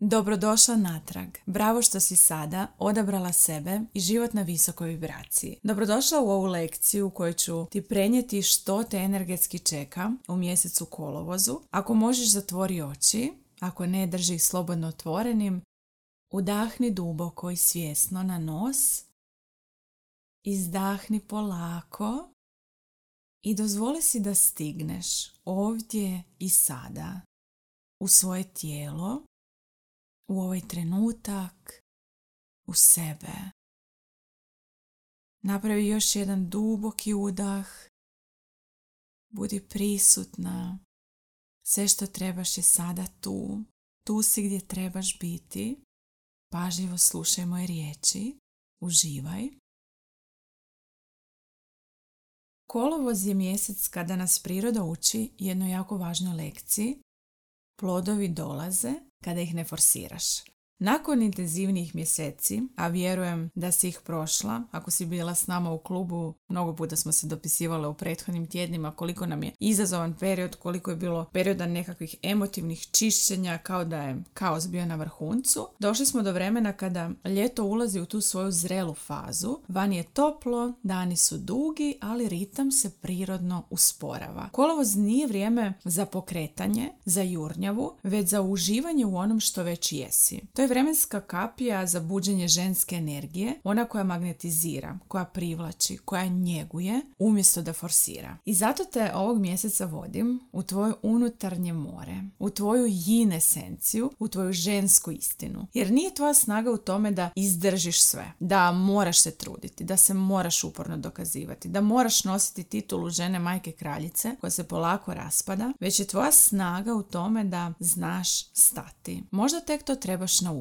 Dobrodošla natrag. Bravo što si sada odabrala sebe i život na visokoj vibraciji. Dobrodošla u ovu lekciju u kojoj ću ti prenijeti što te energetski čeka u mjesecu kolovozu. Ako možeš, zatvori oči, ako ne, drži ih slobodno otvorenim. Udahni duboko i svjesno na nos. Izdahni polako i dozvoli si da stigneš ovdje i sada u svoje tijelo, u ovaj trenutak, u sebe. Napravi još jedan duboki udah. Budi prisutna. Sve što trebaš je sada tu. Tu si gdje trebaš biti. Pažljivo slušaj moje riječi. Uživaj. Kolovoz je mjesec kada nas priroda uči jednoj jako važnoj lekciji. Plodovi dolaze kada ih ne forsiraš. Nakon intenzivnijih mjeseci, a vjerujem da si ih prošla, ako si bila s nama u klubu, mnogo puta smo se dopisivale u prethodnim tjednima koliko nam je izazovan period, koliko je bilo perioda nekakvih emotivnih čišćenja, kao da je kaos bio na vrhuncu. Došli smo do vremena kada ljeto ulazi u tu svoju zrelu fazu. Vani je toplo, dani su dugi, ali ritam se prirodno usporava. Kolovoz nije vrijeme za pokretanje, za jurnjavu, već za uživanje u onom što već jesi. To je vremenska kapija za buđenje ženske energije, ona koja magnetizira, koja privlači, koja njeguje, umjesto da forsira. I zato te ovog mjeseca vodim u tvoje unutarnje more, u tvoju yin esenciju, u tvoju žensku istinu. Jer nije tvoja snaga u tome da izdržiš sve, da moraš se truditi, da se moraš uporno dokazivati, da moraš nositi titulu žene, majke, kraljice, koja se polako raspada, već je tvoja snaga u tome da znaš stati. Možda tek to trebaš naučiti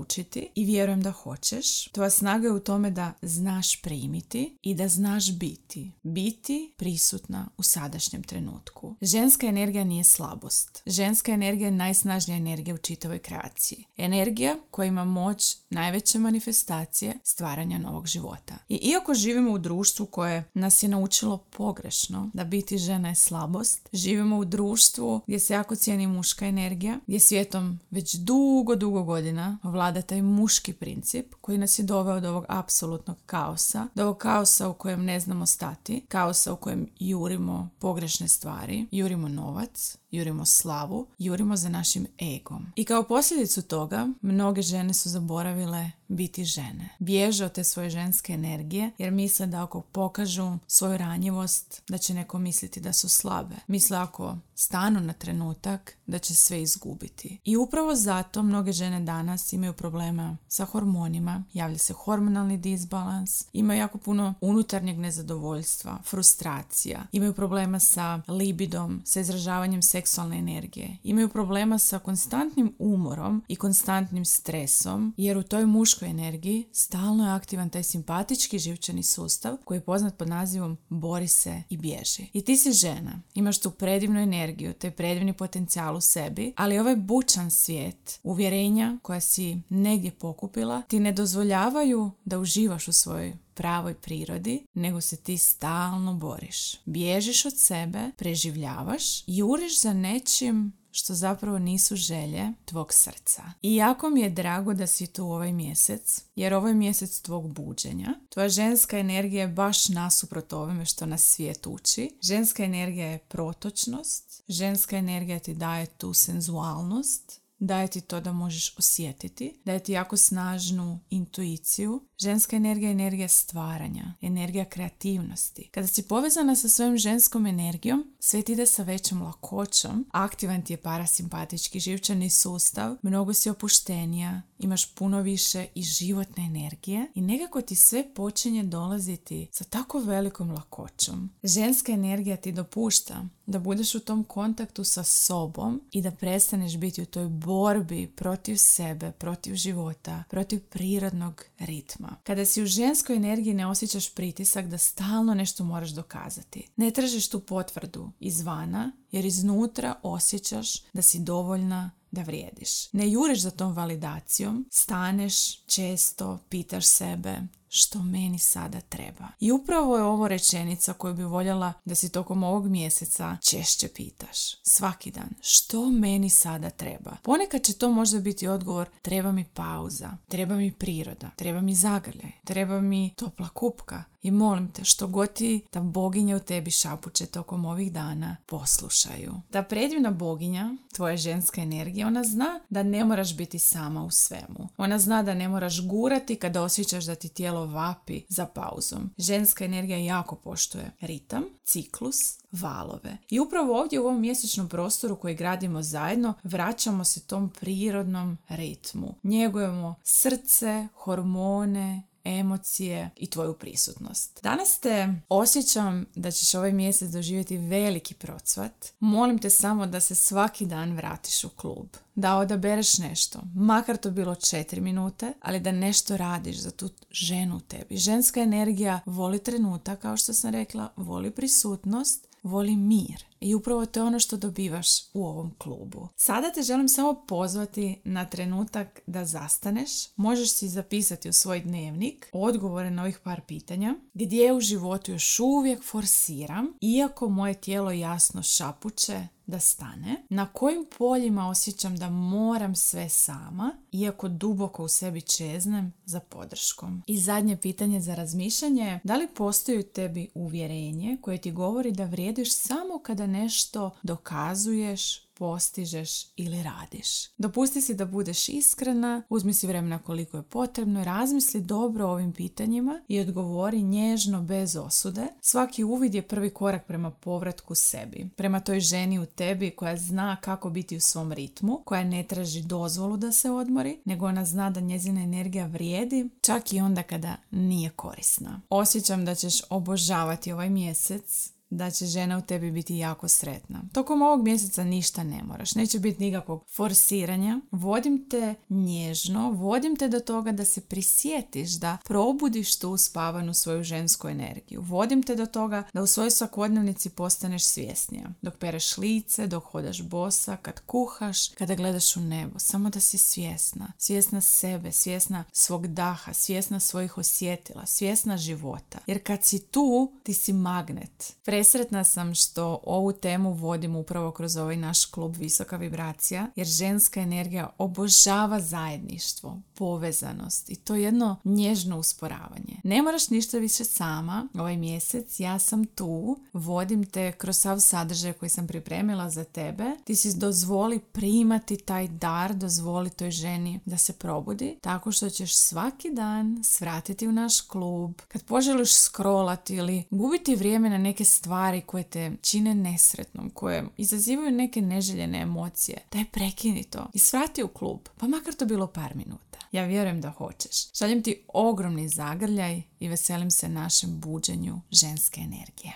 i vjerujem da hoćeš. Tvoja snaga je u tome da znaš primiti i da znaš biti. Biti prisutna u sadašnjem trenutku. Ženska energija nije slabost. Ženska energija je najsnažnija energija u čitavoj kreaciji. Energija koja ima moć najveće manifestacije stvaranja novog života. I iako živimo u društvu koje nas je naučilo pogrešno da biti žena je slabost, živimo u društvu gdje se jako cijeni muška energija, gdje svijetom već dugo godina vlada taj muški princip koji nas je doveo do ovog apsolutnog kaosa, do ovog kaosa u kojem ne znamo stati, kaosa u kojem jurimo pogrešne stvari, jurimo novac, jurimo slavu, jurimo za našim egom. I kao posljedicu toga, mnoge žene su zaboravile biti žene. Bježe od te svoje ženske energije jer misle da ako pokažu svoju ranjivost, da će neko misliti da su slabe. Misle ako stanu na trenutak, da će sve izgubiti. I upravo zato mnoge žene danas imaju problema sa hormonima, javlja se hormonalni disbalans, imaju jako puno unutarnjeg nezadovoljstva, frustracija, imaju problema sa libidom, sa izražavanjem seksualne energije, imaju problema sa konstantnim umorom i konstantnim stresom, jer u toj muškoj energiji stalno je aktivan taj simpatički živčani sustav koji je poznat pod nazivom bori se i bježi. I ti si žena, imaš tu predivnu energiju, taj predivni potencijal u sebi, ali ovaj bučan svijet, uvjerenja koja si negdje pokupila, ti ne dozvoljavaju da uživaš u svojoj pravoj prirodi, nego se ti stalno boriš. Bježiš od sebe, preživljavaš, juriš za nečim što zapravo nisu želje tvog srca. I jako mi je drago da si tu ovaj mjesec, jer ovo je mjesec tvog buđenja. Tvoja ženska energija je baš nasuprot ovome što nas svijet uči. Ženska energija je protočnost, ženska energija ti daje tu senzualnost, daje ti to da možeš osjetiti, daje ti jako snažnu intuiciju. Ženska energija je energija stvaranja, energija kreativnosti. Kada si povezana sa svojom ženskom energijom, sve ti ide sa većom lakoćom, aktivan ti je parasimpatički živčani sustav, mnogo si opuštenija, imaš puno više i životne energije i nekako ti sve počinje dolaziti sa tako velikom lakoćom. Ženska energija ti dopušta da budeš u tom kontaktu sa sobom i da prestaneš biti u toj borbi protiv sebe, protiv života, protiv prirodnog ritma. Kada si u ženskoj energiji ne osjećaš pritisak da stalno nešto moraš dokazati. Ne tražiš tu potvrdu izvana jer iznutra osjećaš da si dovoljna, da vrijediš. Ne juriš za tom validacijom, staneš često, pitaš sebe što meni sada treba. I upravo je ovo rečenica koju bi voljela da si tokom ovog mjeseca češće pitaš. Svaki dan. Što meni sada treba? Ponekad će to možda biti odgovor: treba mi pauza, treba mi priroda, treba mi zagrljaj, treba mi topla kupka. I molim te, što god ti ta boginja u tebi šapuće tokom ovih dana, poslušaju. Ta predivna boginja, tvoja ženska energija, ona zna da ne moraš biti sama u svemu. Ona zna da ne moraš gurati kada osjećaš da ti tijelo vapi za pauzom. Ženska energija jako poštuje ritam, ciklus, valove. I upravo ovdje u ovom mjesečnom prostoru koji gradimo zajedno, vraćamo se tom prirodnom ritmu. Njegujemo srce, hormone, emocije i tvoju prisutnost. Danas te osjećam da ćeš ovaj mjesec doživjeti veliki procvat. Molim te samo da se svaki dan vratiš u klub. Da odabereš nešto, makar to bilo 4 minute, ali da nešto radiš za tu ženu u tebi. Ženska energija voli trenutak, kao što sam rekla, voli prisutnost, voli mir. I upravo to je ono što dobivaš u ovom klubu. Sada te želim samo pozvati na trenutak da zastaneš. Možeš si zapisati u svoj dnevnik odgovore na ovih par pitanja. Gdje u životu još uvijek forsiram, iako moje tijelo jasno šapuće da stane? Na kojim poljima osjećam da moram sve sama, iako duboko u sebi čeznem za podrškom? I zadnje pitanje za razmišljanje: da li postoji u tebi uvjerenje koje ti govori da vrijediš samo kada nešto dokazuješ, postižeš ili radiš? Dopusti si da budeš iskrena, uzmi si vremena koliko je potrebno, razmisli dobro o ovim pitanjima i odgovori nježno, bez osude. Svaki uvid je prvi korak prema povratku sebi, prema toj ženi u tebi koja zna kako biti u svom ritmu, koja ne traži dozvolu da se odmori, nego ona zna da njezina energija vrijedi čak i onda kada nije korisna. Osjećam da ćeš obožavati ovaj mjesec, da će žena u tebi biti jako sretna. Tokom ovog mjeseca ništa ne moraš, neće biti nikakvog forsiranja. Vodim te nježno, vodim te do toga da se prisjetiš, da probudiš tu uspavanu svoju žensku energiju. Vodim te do toga da u svojoj svakodnevnici postaneš svjesnija. Dok pereš lice, dok hodaš bosa, kad kuhaš, kada gledaš u nebo. Samo da si svjesna. Svjesna sebe, svjesna svog daha, svjesna svojih osjetila, svjesna života. Jer kad si tu, ti si magnet. Presretna sam što ovu temu vodim upravo kroz ovaj naš klub Visoka vibracija, jer ženska energija obožava zajedništvo, povezanost i to jedno nježno usporavanje. Ne moraš ništa više sama ovaj mjesec, ja sam tu, vodim te kroz sav sadržaj koji sam pripremila za tebe. Ti si dozvoli primati taj dar, dozvoli toj ženi da se probudi, tako što ćeš svaki dan svratiti u naš klub. Kad poželiš scrollati ili gubiti vrijeme na neke stvari koje te čine nesretnom, koje izazivaju neke neželjene emocije, daj prekini to i svrati u klub, pa makar to bilo par minuta. Ja vjerujem da hoćeš. Šaljem ti ogromni zagrljaj i veselim se našem buđenju ženske energije.